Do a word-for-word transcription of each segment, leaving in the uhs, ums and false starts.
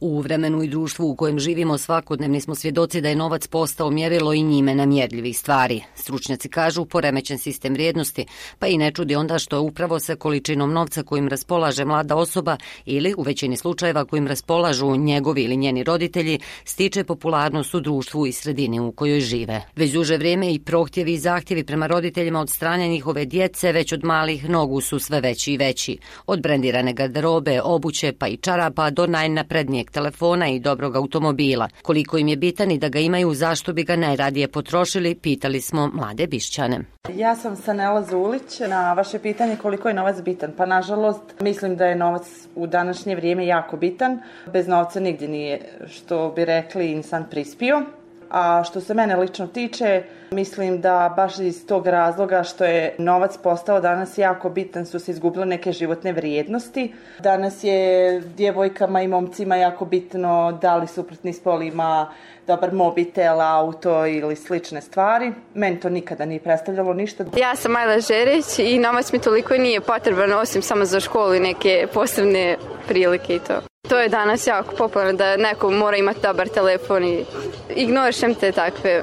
U vremenu i društvu u kojem živimo svakodnevni smo svjedoci da je novac postao mjerilo i njime namjerljivih stvari. Stručnjaci kažu poremećen sistem vrijednosti, pa i ne čudi onda što upravo sa količinom novca kojim raspolaže mlada osoba ili u većini slučajeva kojim raspolažu njegovi ili njeni roditelji stiče popularnost u društvu i sredini u kojoj žive. Već duže vrijeme i prohtjevi i zahtjevi prema roditeljima od strane njihove djece već od malih nogu su sve veći i veći. Od brendirane garderobe, obuće pa i čarapa do najnaprednijeg telefona i dobrog automobila. Koliko im je bitan i da ga imaju, zašto bi ga najradije potrošili, pitali smo mlade Bišćane. Ja sam Sanela Zulić. Na vaše pitanje koliko je novac bitan, pa nažalost mislim da je novac u današnje vrijeme jako bitan. Bez novca nigdje nije, što bi rekli, insan prispio. A što se mene lično tiče, mislim da baš iz tog razloga što je novac postao danas jako bitan su se izgubile neke životne vrijednosti. Danas je djevojkama i momcima jako bitno da li suprotni spol ima dobar mobitel, auto ili slične stvari. Meni to nikada nije predstavljalo ništa. Ja sam Majla Žerić i novac mi toliko nije potreban osim samo za školu i neke posebne prilike i to. To je danas jako popularno da neko mora imati dobar telefon i ignorišem te takve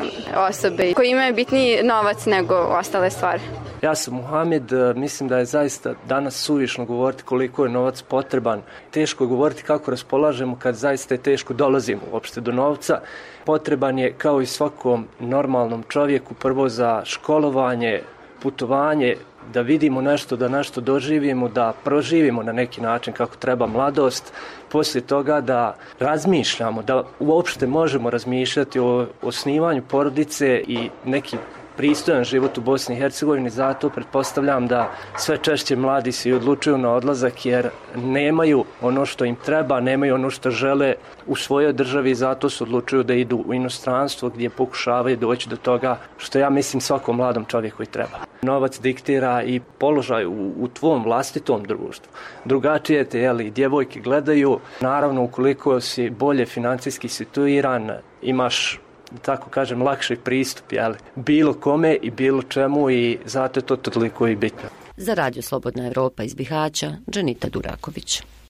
osobe koji imaju bitniji novac nego ostale stvari. Ja sam Muhamed, mislim da je zaista danas suvišno govoriti koliko je novac potreban. Teško je govoriti kako raspolažemo kad zaista je teško dolazimo uopšte do novca. Potreban je kao i svakom normalnom čovjeku prvo za školovanje, putovanje, da vidimo nešto, da nešto doživimo, da proživimo na neki način kako treba mladost, poslije toga da razmišljamo, da uopšte možemo razmišljati o osnivanju porodice i neki pristojan život u Bosni i Hercegovini, zato pretpostavljam da sve češće mladi se odlučuju na odlazak jer nemaju ono što im treba, nemaju ono što žele u svojoj državi, zato se odlučuju da idu u inostranstvo gdje pokušavaju doći do toga što ja mislim svakom mladom čovjeku i treba. Novac diktira i položaj u, u tvom vlastitom društvu. Drugačije te, jeli, djevojke gledaju, naravno ukoliko si bolje financijski situiran, imaš, tako kažem, lakši pristup, jeli, bilo kome i bilo čemu i zato je to toliko i bitno. Za Radio Slobodna Evropa iz Bihaća, Dženita Duraković.